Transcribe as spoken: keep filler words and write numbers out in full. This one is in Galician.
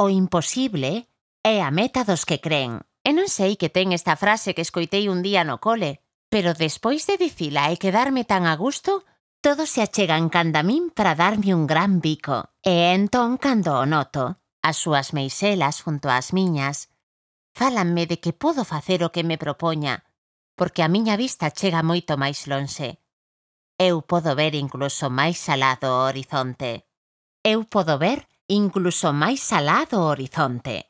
O imposible é a meta dos que cren. E non sei que ten esta frase que escoitei un día no cole, pero despois de dicila e quedarme tan a gusto, todos se achegan canda min para darme un gran bico. E entón, cando o noto, as súas meixelas junto ás miñas, fálanme de que podo facer o que me propoña, porque a miña vista chega moito máis lonxe. Eu podo ver incluso máis alá do horizonte. Eu podo ver incluso máis alá do horizonte.